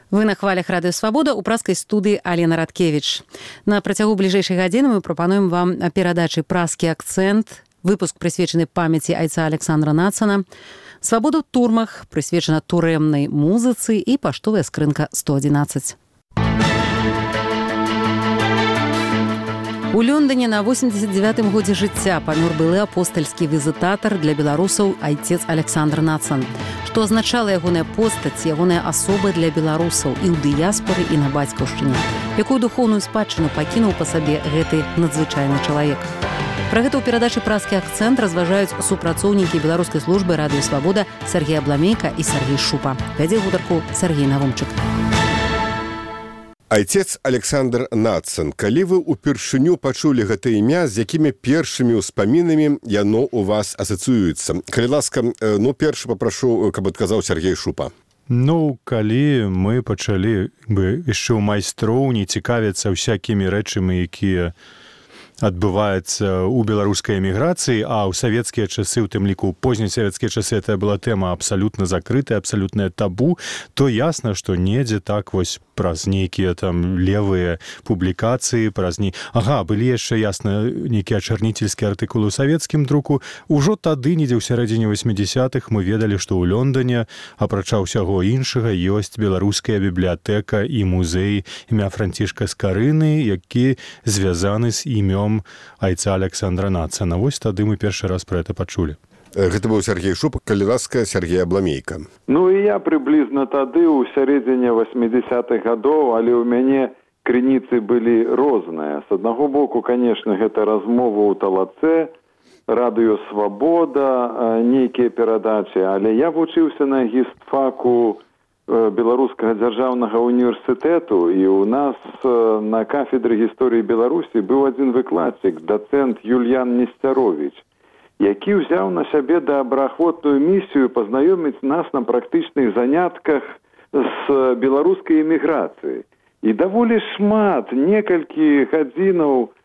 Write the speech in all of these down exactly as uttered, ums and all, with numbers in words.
Вы на хвалях Радыё Свабода ў праскай студыі Алена Радкевіч. На працягу бліжэйшай гадзіны мы прапануем вам перадачы «Праскі акцэнт», выпуск прысвечаны памяці айца Александра Нацана, «Свабода ў турмах», прысвечана турэмнай музыцы і паштовая скрынка сто адзінаццаць. У Лондоне на восемьдесят девятым годзе жыцця памёр былы апостальскі візітатар для беларусаў айцец Александр Нацан. Што азначала ягоная постаць, ягоная асоба для беларусаў і ў дыяспоры, і на бацькаўшчыне. Якую духоўную спадчыну пакінуў па сабе гэты надзвычайны чалавек. Пра гэта ў перадачы «Праскі акцэнт» разважаюць супрацоўнікі беларускай службы «Радыё Свабода» Сергей Абламейка і Сергей Шупа. Вядзе гутарку Сергей Навумчык. Айцец Александр Нацан, калі вы ўпершыню пачулі гэта імя, з якімі першымі ўспамінамі яно ў вас асацыюецца? Калі ласка, ну, першы папрашу, каб адказаў Сергей Шупа. Ну, калі мы пачалі бы яшчэ ў майстроўні цікавіцца ўсякімі рэчамі, якія адбываецца ў беларускай эміграцыі, а ў савецкія часы, у тым ліку ў познясавецкія часы, это была тэма абсалютна закрытая, абсалютнае табу, то ясна, што недзе так вось праз нейкія там левыя публікацыі, праз не... Ага, былі яшчэ, ясна, нейкія ачарніцельскія артыкулы ў савецкім друку. Ужо тады, недзе ў сярэдзіне восьмідзясятых, мы ведалі, што ў Лондоне, апрача ўсяго іншага, ёсць беларуская бібліятэка і музей імя Францішка Скарыны, які звязаны з імём айца Александра Нацана. Вось тады мы першы раз пра гэта пачулі. Гэта быў Сергей Шупа, калі ласка, Сергей Абламейка. Ну і я прыблізна тады ў сярэдзіне восьмідзясятых гадоў, але ў мяне крыніцы былі розныя. З аднаго боку, канешне, гэта размова ў Талацэ, Радыё Свабода, нейкія перадачы, але я вучыўся на гістфаку Беларускага дзяржаўнага універсітэту, і ў нас на кафедры гісторыі Беларусі быў адзін выкладчык, дацэнт Юльян Несцяровіч, які ўзяў на сябе добраахвотную місію пазнаёміць нас на практычных занятках з беларускай эміграцыі. І даволі шмат, некалькі гадзінаў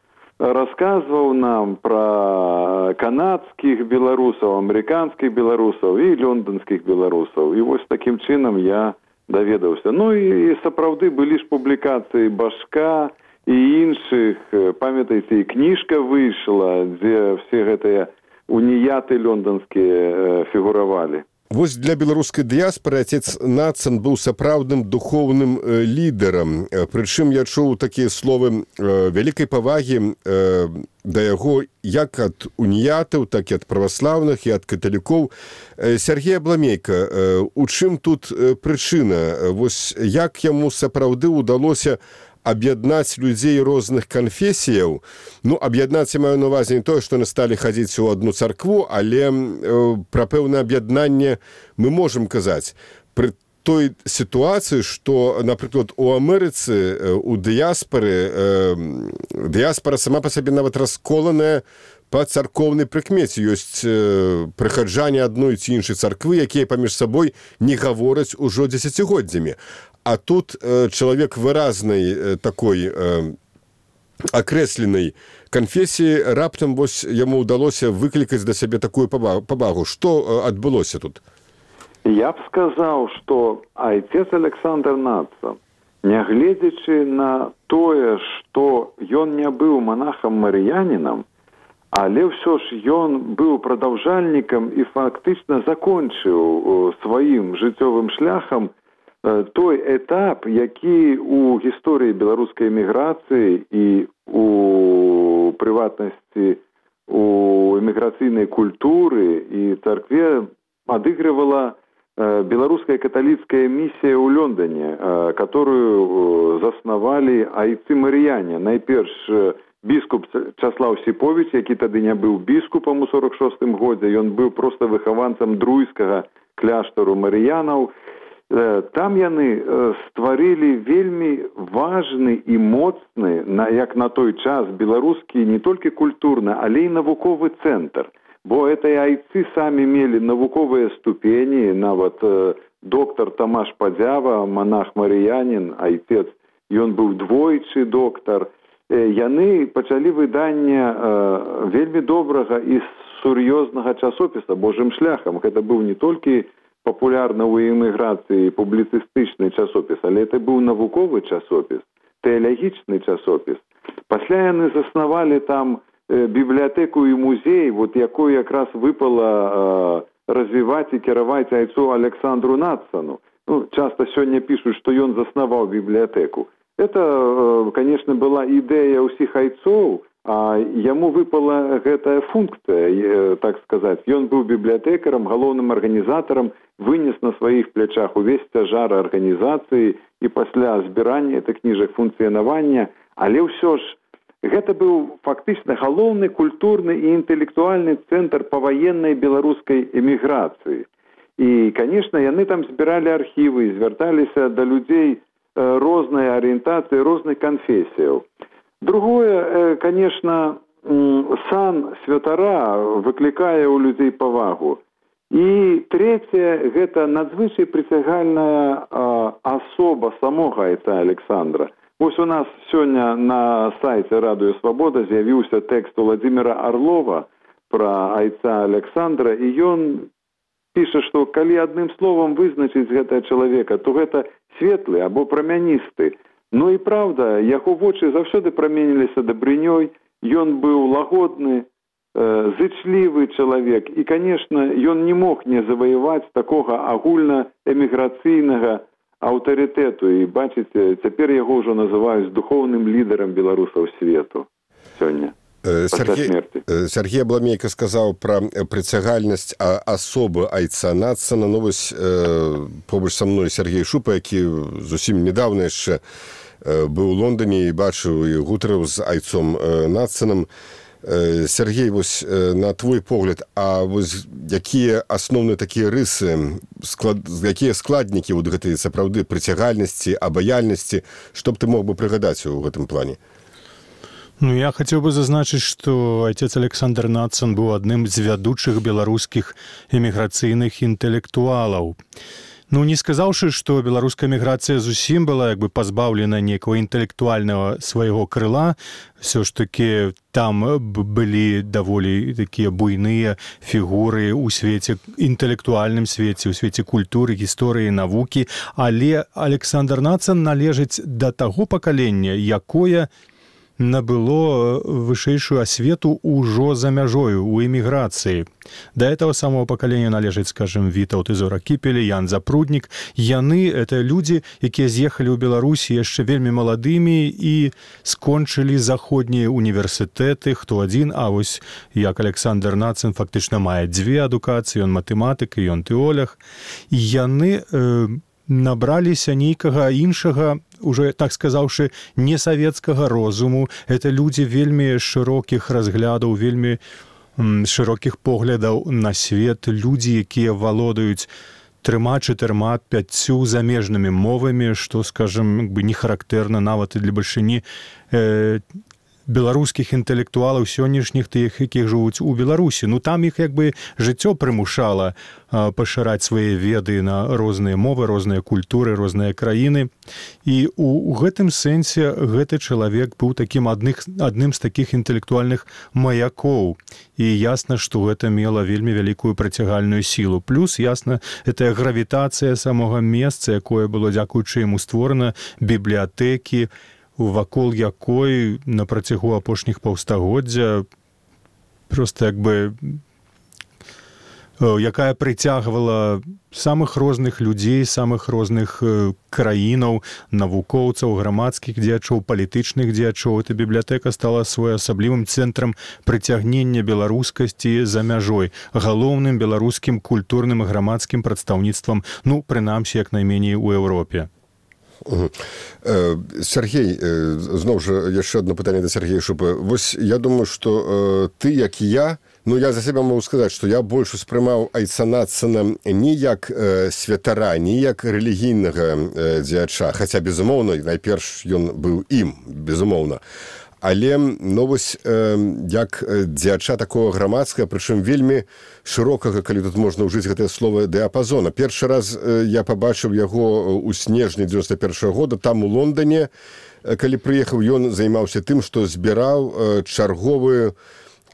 расказваў нам пра канадскіх беларусаў, амерыканскіх беларусаў і лондонскіх беларусаў. І вось такім чынам я даведаўся. Ну і сапраўды былі ж публікацыі Башка і іншых. Памятаеце, і кніжка выйшла, дзе все гэтыя уніяты лондонскія фігуравалі. Вось для беларускай дыяспоры айцец Нацан быў сапраўдным духоўным э, лідарам. Прычым я чуў такія словы э, вялікай павагі э, да яго як ад уніятаў, так і ад праваслаўных і ад каталікоў. Э, Сергей Абламейка, э, у чым тут э, прычына? Вось як яму сапраўды ўдалося аб'яднаць людзей розных канфесіяў? Ну, аб'яднаць я маю на ўвазе не тое, што яны сталі хадзіць у адну царкву, але э, пра пэўнае аб'яднанне мы можам казаць. Пры той сітуацыі, што, напрыклад, у Амерыцы, у дыяспары, э, дыяспара сама па сабе нават расколаная па царкоўнай прыкмеце. Ёсць э, прыхаджане адной ці іншай царквы, якія паміж сабой не гавораць ужо дзесяцігоддзямі. А тут э, чалавек выразнай э, такой э, акрэсленай канфесіі, раптам вось яму ўдалося выклікаць да сябе такую павагу. Што э, адбылося тут? Я б сказаў, што айцец Александр Нацан, нягледзячы на тое, што ён не быў монахам-марыянінам, але ўсё ж ён быў прадаўжальнікам і фактычна закончыў сваім жыццёвым шляхам той этап, які ў гісторыі беларускай эміграцыі і у прыватнасці у эміграцыйнай культуры і царкве адыгрывала беларуская каталіцкая місія ў Лондоне, которую заснавалі айцы-марыяне. Найперш біскуп Часлаў Сіповіч, які тады не быў біскупам у сорок шостым годзе, ён быў проста выхаванцам друйскага кляштару марыянаў. Там яны стварылі вельмі важны і моцны, як на той час, беларускі не толькі культурны, але і навуковы цэнтр. Бо гэтыя айцы самі мелі навуковыя ступені, нават доктар Тамаш Падзява, монах-марыянін, айцец, ён быў двойчы доктар. Яны пачалі выданне вельмі добрага і сур'ёзнага часопіса «Божым шляхам». Гэта быў не толькі папулярны ў эміграцыі публіцыстычны часопіс, але это быў навуковы часопіс, тэалагічны часопіс. Пасля яны заснавалі там бібліятэку і музей, вот якой якраз выпала развіваць і кіраваць айцу Александру Надсону. Ну, часто сегодня пишут, что он заснавал библиотеку. Это, конечно, была идея усіх айцоў, а ему выпала гэтая функция, так сказать. Он был библиотекарем, галоўным организатором, вынес на своих плечах увесь цяжар организации и после збирания этих книжек функционования. Але ўсё ж, гэта быў фактычна галоўны культурны і інтэлектуальны цэнтр паваеннай беларускай эміграцыі. І, конечно, яны там збіралі архівы, звярталіся да людзей рознай арыентацыі, розных канфесіяў. Другое, конечно, сан святара выклікае ў людзей павагу. І трэцяе, гэта надзвычай прыцягальная асоба самога айца Александра. Вось у нас сёння на сайце Радыё Свабода з'явіўся тэкст Владимира Орлова пра айца Александра, і ён піша, што калі адным словам вызначыць гэтага чалавека, то гэта светлы або прамяністы. Ну і праўда, яго вочы заўсёды праменіліся дабрынёй, ён быў лагодны, э, зычлівы чалавек, і, конечно, ён не мог не заваяваць такога агульна-эміграцыйнага аўтарытэту. І, бачыце, цяпер яго ўжо называюць духоўным лідарам беларусаў свету сёння. Сергей, Сергей Абламейка сказаў пра прыцягальнасць асобы айца Надсона. Ну, вось, побач са мной Сергей Шупа, які зусім недавно яшчэ быў у Лондоне і бачыў і гутарыў з айцом Надсоном. Сергей, вось, на твой погляд, а вось якія асноўныя такія рысы, склад, якія складнікі вот гэтай сапраўды прыцягальнасці, абаяльнасці, што б ты мог бы прыгадаць у гэтым плане? Ну, я хотел бы зазначыць, што отец Александр Надсон быў адным з вядучых беларускіх эміграцыйных інтэлектуалаў. Ну, не сказаўшы, што беларуская эміграцыя зусім была як бы пазбаўлена нейкага інтэлектуальнага свайго крыла, все ж таки там былі даволі такія буйныя фігуры ў свеце, інтэлектуальным свеце, ў свеце культуры, гісторыі, навукі, але Александр Надсон належыць да таго пакалення, якое набыло вышэйшую асвету ўжо за мяжою у эміграцыі. Да этого самого пакалення належыць, скажем, Вітаўт і Зора Кіпель, Ян Запруднік. Яны — это людзі, якія з'ехалі ў Беларусі яшчэ вельмі маладымі і скончылі заходнія універсітэты, хто адзін, а вось як Александр Надсон фактычна мае дзве адукацыі, ён матэматык і ён тэолог. І яны э, набраліся нейкага іншага, уже, так сказаўшы, несавецкага розуму. Это людзі вельмі шырокіх разглядаў, вельмі м, шырокіх поглядаў на свет, людзі, якія валодаюць трыма, чатырма, пяццю замежнымі мовамі, што, скажем, не характэрна нават і для бальшыні э, беларускіх інтэлектуалаў сённяшніх, тых, якіх жывуць у Беларусі. Ну, там іх як бы жыццё прымушала а, пашыраць свае веды на розныя мовы, розныя культуры, розныя краіны. І у, у гэтым сэнсе гэты чалавек быў такім адных, адным з такіх інтэлектуальных маякоў. І ясна, што гэта мела вельмі вялікую прыцягальную сілу. Плюс, ясна, гэтая гравітацыя самога месца, якое было дзякуючы яму створана, бібліятэкі, вакол якой на працягу апошніх паўстагоддзя просто як бы якая прыцягвала самых розных людзей, самых розных краінаў, навукоўцаў, грамадскіх дзеячоў, палітычных дзеячоў. Эта бібліятэка стала своеасаблівым цэнтрам прыцягнення беларускасці за мяжой, галоўным беларускім культурным і грамадскім прадстаўніцтвам, ну, прынамсі, як найменей у Еўропе. Сергей, зноў жа яшчэ одно пытанне да Сергея Шупы. Вось я думаю, што ты, як і я, ну, я за сябе могу сказаць, што я больш успрымаў айца Надсона не як святара, не як рэлігійнага дзеяча, хаця, безумоўна, найперш ён быў ім, безумоўна. Але, ну, вось, э, як дзеяча такого грамадскага, прычым вельмі шырокага, калі тут можна ўжыць гэтае слово, дыапазона. Першы раз э, я пабачыў яго ў снежні дзевяносто першага года, там у Лондоне, калі прыехаў, ён займаўся тым, што збіраў э, чарговую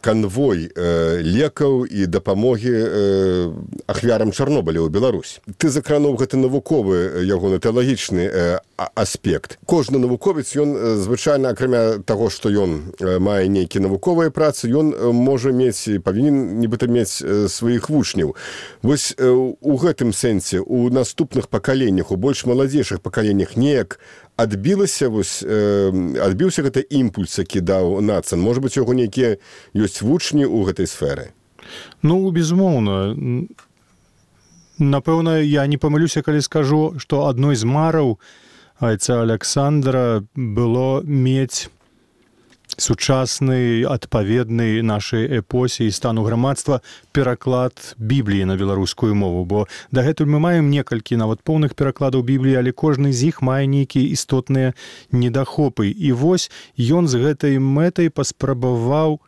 канвой э, лекаў і дапамогі э, ахвярам Чарнобыля ў Беларусь. Ты закрануў гэты навуковы ягоны тэалагічны э, аспект. Кожны навуковец, ён звычайна, акрамя таго, што ён мае нейкія навуковыя працы, ён можа мець, павінен нібыта мець сваіх вучняў. Вось э, у гэтым сэнсе, у наступных пакаленнях, у больш маладзейшых пакаленнях неяк адбілася, вось, э, адбіўся гэты імпульс, які даў Нацан. Можа быць, у яго нейкія ёсць вучні ў гэтай сферы? Ну, безумоўна. Напэўна, я не памылюся, калі скажу, што адной з мараў айца Александра было мець сучасны, адпаведны нашай эпосе і стану грамадства пераклад Бібліі на беларускую мову, бо дагэтуль мы маем некалькі нават поўных перакладаў Бібліі, але кожны з іх мае нейкія істотныя недахопы. І вось ён з гэтай мэтай паспрабаваў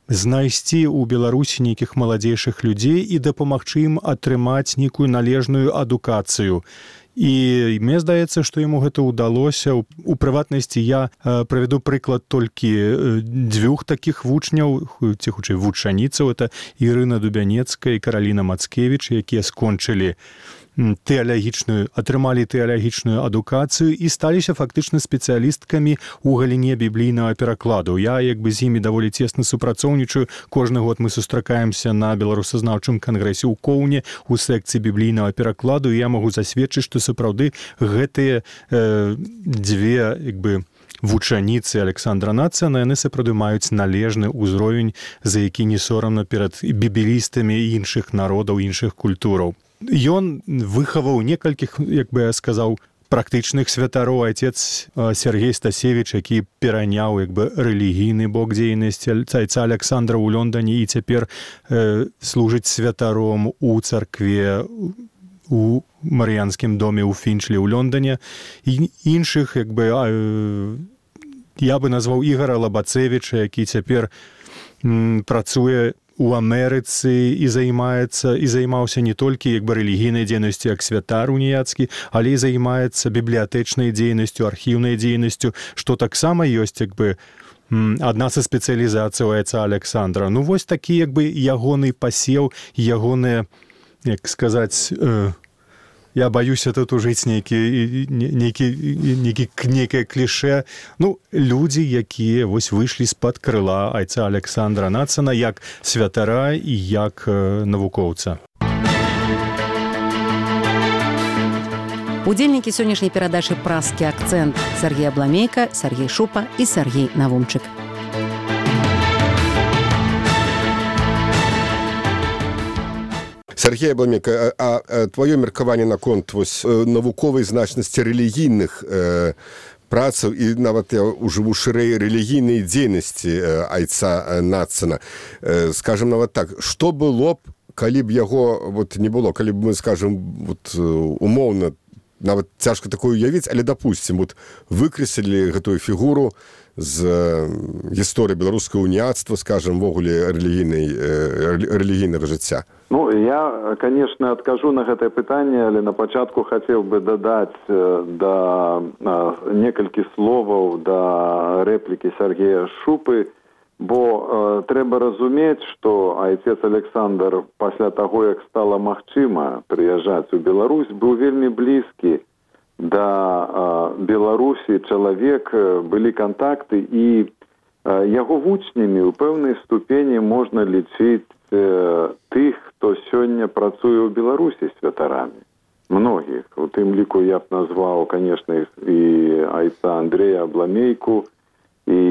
знайсці ў Беларусі нейкіх маладзейшых людзей і дапамагчы ім атрымаць нейкую належную адукацыю. І мне здаецца, што яму гэта ўдалося. У прыватнасці я э, правяду прыклад толькі дзвюх такіх вучняў, ці хутчэй вучаніцаў, это Ірына Дубянецкая і Караліна Мацкевіч, якія скончылі тэалагічную, атрымалі тэалагічную адукацыю і сталіся фактычна спецыялісткамі ў галіне біблійнага перакладу. Я як бы з імі даволі цесна супрацоўнічаю. Кожны год мы сустракаемся на беларусазнаўчым кангрэсе ў Коўне у секцыі біблійнага перакладу, і я магу засведчыць, што сапраўды гэтыя э, дзве як бы вучаніцы Александра Нацана, яны сапраўды маюць належны ўзровень, за які не сорамна перад бібелістамі іншых народаў, іншых культураў. Ён выхаваў некалькіх, як бы я сказаў, практычных святароў. Айцец Сергей Стасевіч, які пераняў як бы рэлігійны бок дзейнасці айца Александра ў Лондоне і цяпер э, служыць святаром у царкве у Марыянскім доме ў Фінчлі ў Лондоне. І іншых, як бы, э, я бы назваў Ігора Лабацевіча, які цяпер м, працуе у Амерыцы і займаецца і займаўся не толькі як бы рэлігійнай дзейнасцю як святар уніяцкі, але і займаецца бібліятэчнай дзейнасцю, архіўнай дзейнасцю, што таксама ёсць як бы адна са спецыялізацый айца Александра. Ну вось такі як бы ягоны пасеў, ягоныя, як сказаць, э, я баюся тут ужыць нейкі, нейкі, нейкі, нейкае кліше. Ну, людзі, якія вось выйшлі з-пад крыла айца Александра Нацана як святара і як э, навукоўца. Удзельнікі сённяшняй перадачы «Празкі акцэнт» Сергей Абламейка, Сергей Шупа і Сергей Навумчык. Сергей Абламейка, а, а твоё меркаванне наконт вось навуковай значнасці рэлігійных э, працаў і нават я ўжыву шырэй рэлігійнай дзейнасці э, айца Нацана. Э, скажем нават так, што было б, калі б яго вот не было, калі б мы, скажем, вот умоўна, нават цяжка такое уявіць, але допустим, вот выкрэслілі гэтую фігуру з гісторыі беларускага уніяцтва, скажем, ввогуле рэлігійнай рэлігійнага жыцця. Ну, я, конечно, откажу на гэтае пытанне, але на пачатку хацеў бы дадаць да некалькі словаў да рэплікі Сергея Шупы, бо э, трэба разумець, што айцец Александр пасля таго, як стала магчыма прыязджаць у Беларусь, быў вельмі блізкі да э, Беларусі чалавек, былі кантакты, і э, яго вучнямі ў пэўнай ступені можна лічыць э, тых, хто сёння працуе ў Беларусі святарамі. Многіх. У тым ліку я б назваў, конечно, і айца Андрея Абламейку, і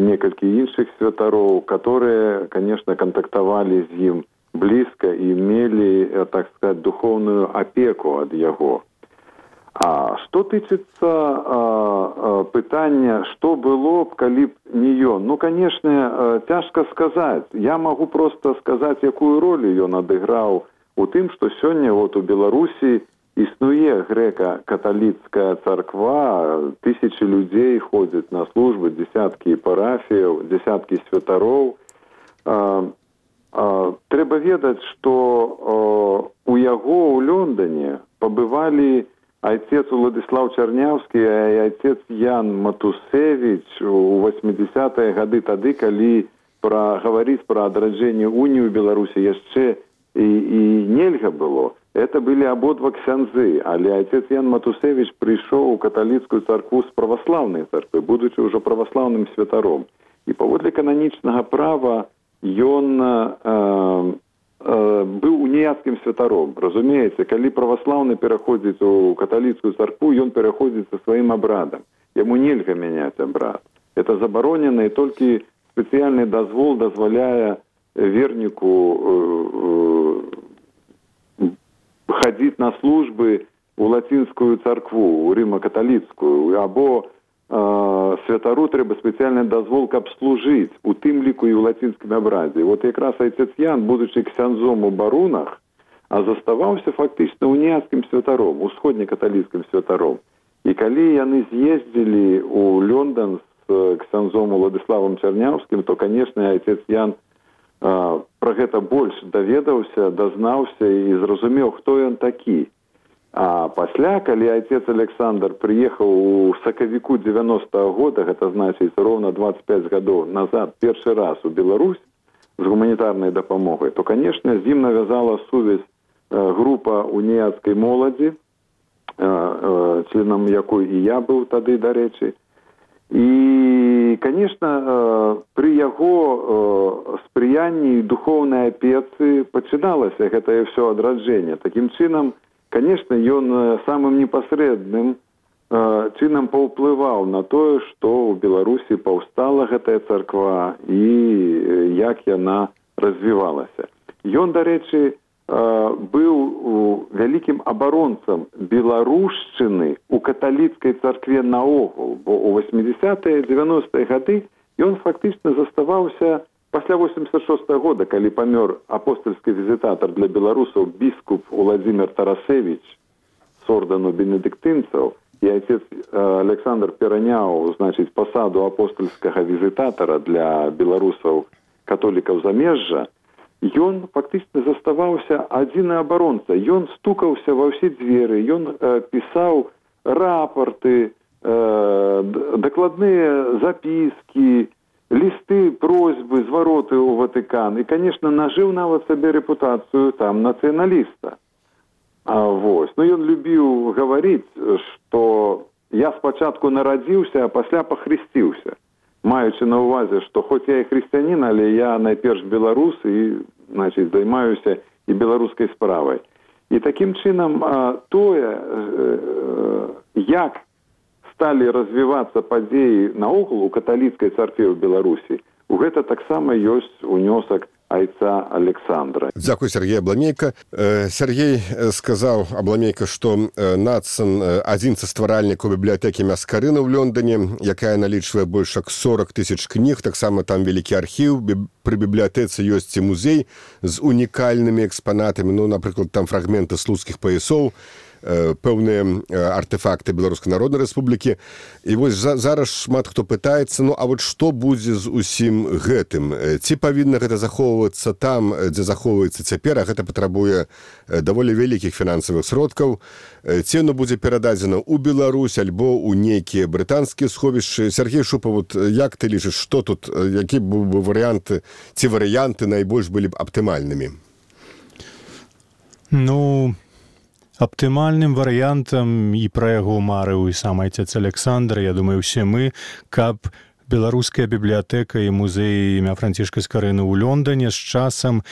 некалькі іншых святароў, которые, конечно, контактавалі з ім блізка і мелі, так сказать, духовную апеку ад яго. А што тычыцца а, а, пытання, што было б, калі б не ён? Ну, конечно, цяжка сказаць. Я магу просто сказаць, якую ролю ён адыграў у тым, што сёння вот у Беларусі існуе грэка-каталіцкая царква, тысячи людзей ходзяць на службы, дзесяткі парафіяў, дзесяткі святароў. А, а, трэба ведаць, што а, у яго ў Лондоне пабывалі айцец Уладзіслаў Чарняўскі і айцец Ян Матусевіч у восьмідзесятыя гады, тады, калі пра гаварыць пра адраджэнне уніі ў Беларусі яшчэ і, і нельга было. Это былі абодва ксяндзы, але отец Ян Матусевич прыйшоў у каталіцкую царкву з праваслаўнай царквы, будучы ўжо праваслаўным святаром. І паводле кананічнага права ён э, э, быў уніяцкім святаром. Разумееце, калі праваслаўны пераходзіць у каталіцкую царкву, ён пераходзіць са сваім абрадам. Яму нельга мяняць абрад. Это забаронена, і толькі спецыяльны дазвол дазваляе верніку э, э, хадзіць на службы у лацінскую царкву, у рыма-каталіцкую, або э, святару трэба спецыяльны дазвол, каб служыць, у тым ліку і ў лацінскім абрадзе. Вот якраз отец Ян, будучы ксяндзом у барунах, а заставаўся фактычна уніяцкім святаром, усходнекаталіцкім святаром. І калі яны з'ездзілі ў Лёндан з ксяндзом Уладыславам Чарняўскім, то, канешне, отец Ян а, пра гэта больш даведаўся, дазнаўся і зразумеў, хто ён такі. А пасля, калі отец Александр прыехаў у сакавіку дзевяностага года, гэта значыць роўна дваццаць пяць гадоў назад, першы раз у Беларусь з гуманітарнай дапамогай, то, канешне, з ім навязала сувязь група уніяцкай моладзі, членам якой і я быў тады, дарэчы. І, канешне, пры яго спрыянні і духоўнай апецы пачыналася гэтае ўсё адраджэнне. Такім чынам, канешне, ён самым непасрэдным чынам паўплываў на тое, што ў Беларусі паўстала гэтая царква і як яна развівалася. Ён, дарэчы, быў вялікім абаронцам беларушчыны ў каталіцкай царкве наогул, бо ў восьмідзесятыя дзевяностыя гады ён фактычна заставаўся пасля восемьдесят шостага года, калі памёр апостольскі візітатар для беларусаў біскуп Уладзімір Тарасевіч з ордэну бенедыктынцаў, і отец Александр пераняў, значыць, пасаду апостольскага візітатара для беларусаў католікаў замежжа, ён фактычна заставаўся адзіны абаронца. Ён стукаўся ва ўсе дзверы, ён э, пісаў рапорты, э, дакладныя запіскі, лісты, просьбы, звароты ў Ватыкан. І, канешне, нажыў нават сабе рэпутацыю там нацыяналіста. А, вось. Ну, ён любіў гаварыць, што я спачатку нарадзіўся, а пасля пахрысціўся. Маючы на ўвазе, што хоць я і хрысціянін, але я найперш беларус і, значыць, займаюся і беларускай справай. І такім чынам тое, як сталі развівацца падзеі наогул у каталіцкай царкве ў Беларусі, у гэта таксама ёсць унёсак айца Александра. Дзякуй, Сергей Абламейка. Сергей сказаў, Абламейка, што Нацан адзін са стваральнікаў бібліятэкі Мяскарына ў Лёндане, якая налічвае больш як сорок тысяч кніг, таксама там вялікі архіў, пры бібліятэцы ёсць і музей з унікальнымі экспанатамі, ну, напрыклад, там фрагменты слуцкіх паясоў, пэўныя артефакты Беларускай Народнай Рэспублікі. І вось зараз шмат хто пытаецца, ну, а вот што будзе з усім гэтым? Ці павінна гэта захоўвацца там, дзе захоўваецца цяпер, а гэта патрабуе даволі вялікіх фінансавых сродкаў? Ці оно будзе перададзена ў Беларусь альбо ў нейкія брытанскія сховішчы? Сергей Шупа, вот як ты лічыш, што тут, які быў бы варыянты, ці варыянты найбольш былі б аптымальнымі? Ну... Аптымальным варыянтам і пра яго марыў і сам айцец Александр, я думаю, усе мы, каб беларуская бібліятэка і музей імя Францішка Скарыны ў Лёндане з часам,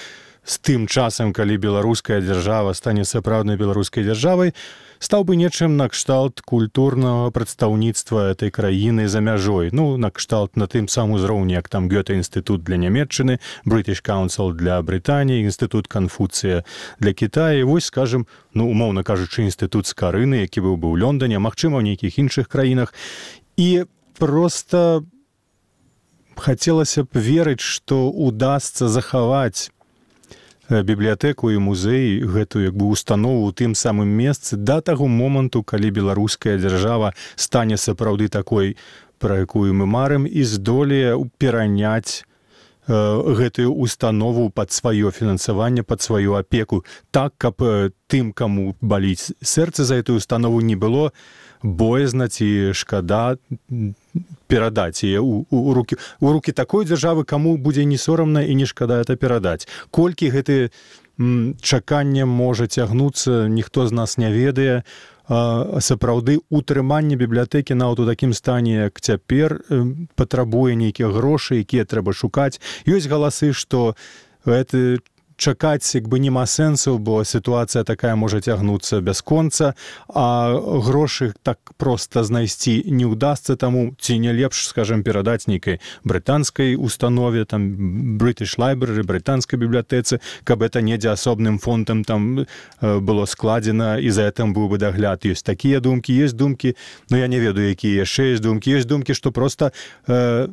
з тым часам, калі беларуская дзяржава стане сапраўднай беларускай дзяржавай, стаў бы нечым накшталт культурнага прадстаўніцтва этой краіны за мяжой. Ну, накшталт на тым самым узроўні, як там Гёте-інстытут для Нямецчыны, British Council для Брытаніі, Інстытут Канфуцыя для Кітая. І вось, скажем, ну, умоўна кажучы, Інстытут Скарыны, які быў бы ў Лёндане, магчыма, ў нейкіх іншых краінах. І проста хацелася б верыць, што удасца захаваць бібліятэку і музей, гэтую як бы установу ў тым самым месцы да таго моманту, калі беларуская дзяржава стане сапраўды такой, пра якую мы марым, і здолее пераняць э, гэтую установу пад сваё фінансаванне, пад сваю апеку, так, каб э, тым, каму баліць сэрца за эту установу, не было боязна ці шкада перадаць яе у, у, рукі, у рукі такой дзяржавы, каму будзе не сорамна і не шкада это перадаць. Колькі гэты м, чаканне можа цягнуцца, ніхто з нас не ведае. А, сапраўды утрыманне бібліятэкі нават у такім стане, як цяпер, патрабуе нейкія грошы, якія трэба шукаць. Ёсць галасы, што гэта чакаць як бы нема сэнсу, бо сітуацыя такая можа цягнуцца бясконца, а грошы так проста знайсці не ўдасца, таму ці не лепш, скажем, перадаць нейкай брытанскай установе, там British Library, брытанскай бібліятэцы, каб это недзе асобным фондам там было складзена і за гэтым быў бы дагляд. Ёсць такія думкі, ёсць думкі, ну я не ведаю, якія яшчэ ёсць думкі, ёсць думкі, што проста э,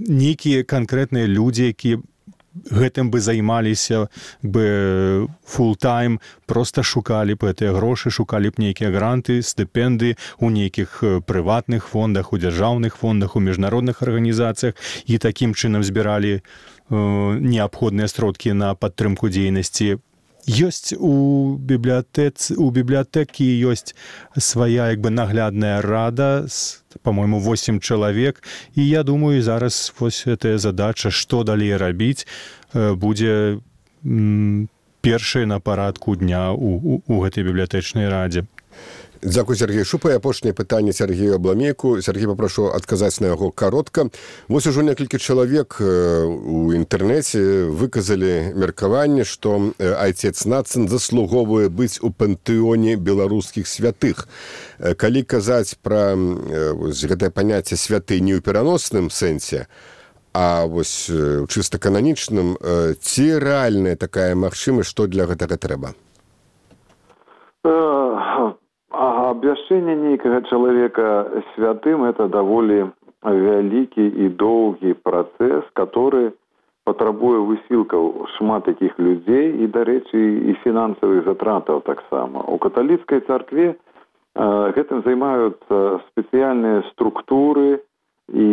нейкія канкрэтныя людзі, якія гэтым бы займаліся бы фултайм, проста шукалі б гэтыя грошы, шукалі б нейкія гранты, стыпендыі у нейкіх прыватных фондах, у дзяржаўных фондах, у міжнародных арганізацыях і такім чынам збіралі э, неабходныя сродкі на падтрымку дзейнасці. Ёсць у бібліятэцы, у бібліятэкі ёсць свая як бы наглядная рада, по-моему, восемь чалавек, і я думаю, зараз вось гэтая задача, што далей рабіць, будзе м, першай на парадку дня у, у, у гэтай бібліятэчнай радзе. Дзякуй, Сергей Шупа. І апошняе пытанне Сергею Абламейку. Сергей, папрошу адказаць на яго каротка. Вось ужо некалькі чалавек у інтэрнэце выказалі меркаванне, што айцец Нацан заслугоўвае быць у пантэоне беларускіх святых. Калі казаць пра гэтае паняцце святы не ў пераносным сэнсе, а вось у чыста кананічным, ці рэальная такая магчымасць, што для гэтага трэба? Абвяшчэнне нейкага чалавека святым – это даволі вялікі і доўгі працэс, который патрабуе высілкаў шмат такіх людзей і, дарэчы, і фінансавых затратаў таксама. У каталіцкай царкве э, гэтым займаюцца спецыяльныя структуры, і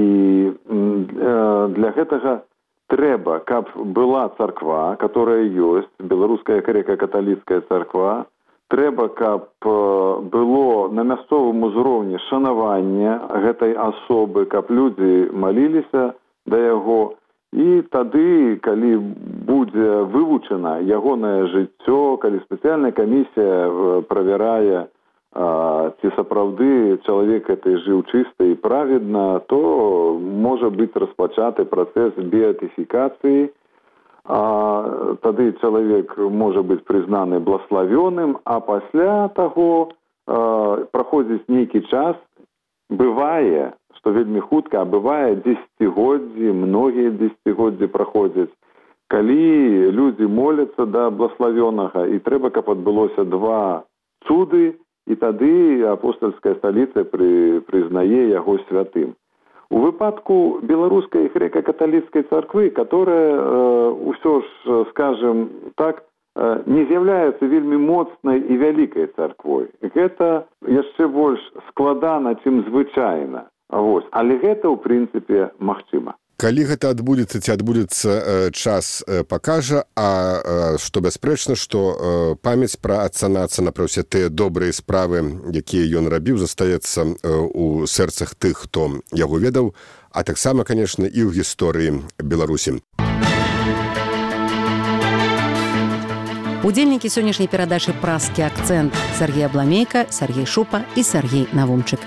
э, для гэтага трэба, каб была царква, которая ёсць, беларуская грэка-каталіцкая царква, трэба, каб было на мясцовым узроўні шанаванне гэтай асобы, каб людзі маліліся да яго. І тады, калі будзе вывучана ягонае жыццё, калі спецыяльная камісія правярае, ці сапраўды чалавек гэты жыў чыста і праведна, то можа быць распачаты працэс беатыфікацыі. А тады чалавек можа быць прызнаны блаславёным, а пасля таго э, праходзіць нейкі час, бывае, што вельмі хутка, а бывае дзесяцігоддзі, многія дзесяцігоддзі праходзяць, калі людзі моляцца да блаславёнага, і трэба, каб адбылося два цуды, і тады апостальская сталіца пры, прызнае яго святым. У выпадку беларускай грэка-каталіцкай царквы, которая э, ўсё ж, скажем так, э, не з'яўляецца вельмі моцнай і вялікай царквой. Гэта яшчэ больш складана, чым звычайна. Вось. Але гэта, ў прынцыпе, магчыма. Калі гэта адбудзецца, ці адбудзецца, час пакажа, а што бясспрэчна, што памяць пра атца Нацана, пра ўсе тыя добрыя справы, якія ён рабіў, застаецца ў сэрцах тых, хто яго ведаў, а таксама, канешне, і ў гісторыі Беларусі. Удзельнікі сённяшняй перадачы «Празкі акцэнт» Сергей Абламейка, Сергей Шупа і Сергей Навумчык.